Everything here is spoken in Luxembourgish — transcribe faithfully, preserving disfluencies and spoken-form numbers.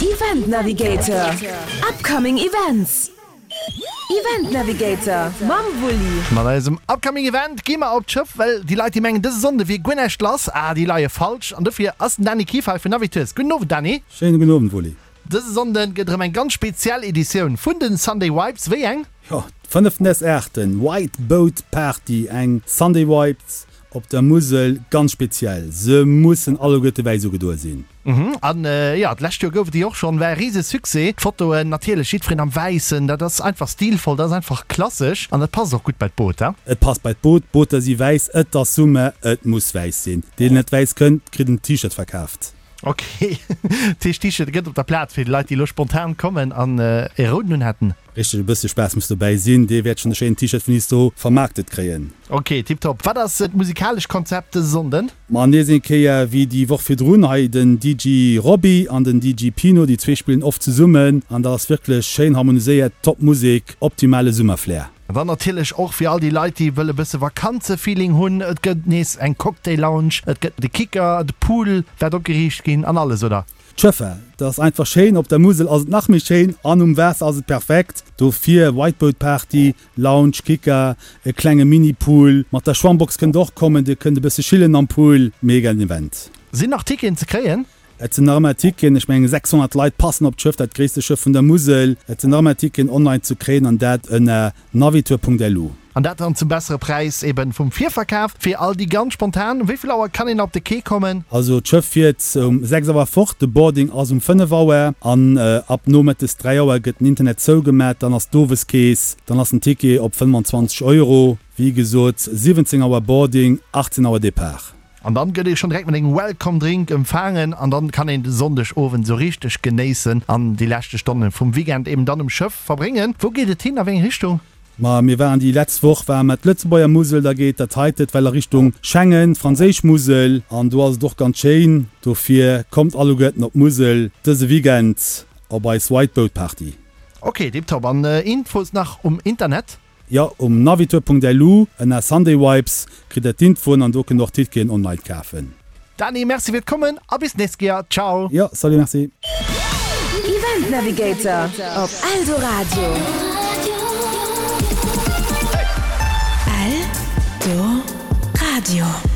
Event Navigator, Upcoming Events. Event Navigator mam Wulli. Mat eisem Upcoming Event gi mer op d'Schëff, well déi Leit déi mengen dëse Sonnde wier guer näischt lass, ah déi leie falsch an dofir ass den Dany Kieffer hei vun Navitours. Gudden Owend Dany. Schéine gudden Owend Wulli. Dëse Sonnde gëtt erëm eng ganz speziell Editioun vun den Sunday Vibes. Wéi eng? Jo, d'fënneften des Aachten, White Boat Party, eng Sunday Vibes op der Musel, ganz speziell. Se mussen alleguerte wäiss ugedoe sinn. Mhm, an jo, d'lescht Joer gouf et déi och schonn, war e rise Succès. D'Fotoen, natierlech jiddwereen am Wäissen, dat ass einfach stilvoll, dat ass einfach klassesch an dat passt och gutt bei d'Boot, he? Et passt bei d'Boot, d'Booter si wäiss, et ass Summer, et muss wäiss sinn. Deen net wäiss kënnt, kritt en T-Shirt verkaaft. Ok, dat heescht T-Shirt gëtt op der Plaz fir déi Leit, déi elo spontan kommen an e rouden un hätten. Richteg, e bëssche Spaass muss dobäi sinn, dee wäert schonn e schéinen T-Shirt vun iis do vermaarktet kréien. Ok, tiptop. Wat ass d'musikalesch Konzept dëse Sonnden? Ma nees eng Kéier wéi déi Woch virdrun, hei den D J Roby an den D J Pino, déi zwee spillen oft zesummen an dat ass wierklech schéin harmoniséiert, top Musek, optimale Summerflair. An dann natierlech och fir all déi Leit, déi wëlle bësse Vakanzefeeling hunn, et gëtt nees eng Cocktail Lounge, et gëtt de Kicker, de Pool wäert opgeriicht ginn an alles, oder? D'Schëffer, dat ass einfach schéin, op der Musel ass et nach méi schéin an um Waasser ass et perfekt. Dofir White Boat Party, Lounge, Kicker, e klenge Mini-Pool, mat der Schwammbox kënnt der och kommen, dir kënnt e bësse chillen am Pool, mega den Event. Sinn nach Ticketen ze kréien? Et sinn nach ëmmer Ticketen, ech mengen sechshonnert Leit passen op d'Schëff, dat gréisste Schëff vun der Musel. Et sinn nach ëmmer Ticketen online ze kréien an dat ënner navitour Punkt L U. An dat dann zum bessere Präis eben vum Virverkaf. Fir all déi ganz spontan, um wéi vill Auer kann een op de Quai kommen? Also d'Schëff fiert um sechs Auer fort, de Boarding ass um fënnef Auer an ab nomëttes dräi Auer gëtt den Internet zougemat, dann ass d'Oweskeess, dann ass den Ticket op fënnefanzwanzeg Euro. Wéi gesot, siwwenzéng Auer Boarding, achtzéng Auer Depart. An dann gëtt ee schonn direkt mat engem Welcome Drink empfaangen an dann kann een de Sonndeg Owend sou richteg genéissen an déi leschte Stonne vum Weekend eben dann um Schëff verbréngen. Wou geet et hin, a wéi eng Richtung? Ma mir waren déi letzt Woch ware mer d'Lëtzebuerger Musel, da geet dat heitet well a Richtung Schengen, d'franséisch Musel an do ass et och ganz schéin. Dofir kommt alleguerten op d'Musel dëse Weekend op eis White Boat Party. Ok, tiptop. An Infos nach um Internet? Jo, um navitour Punkt L U ënner Sunday Vibes kritt der d'Infoen an do kënnt der och Ticketen online kafen. Dany, merci fir d'Kommen a bis d'nächst Kéier. Ciao! Jo, salut, merci. Event Navigator op Eldoradio. Eldoradio.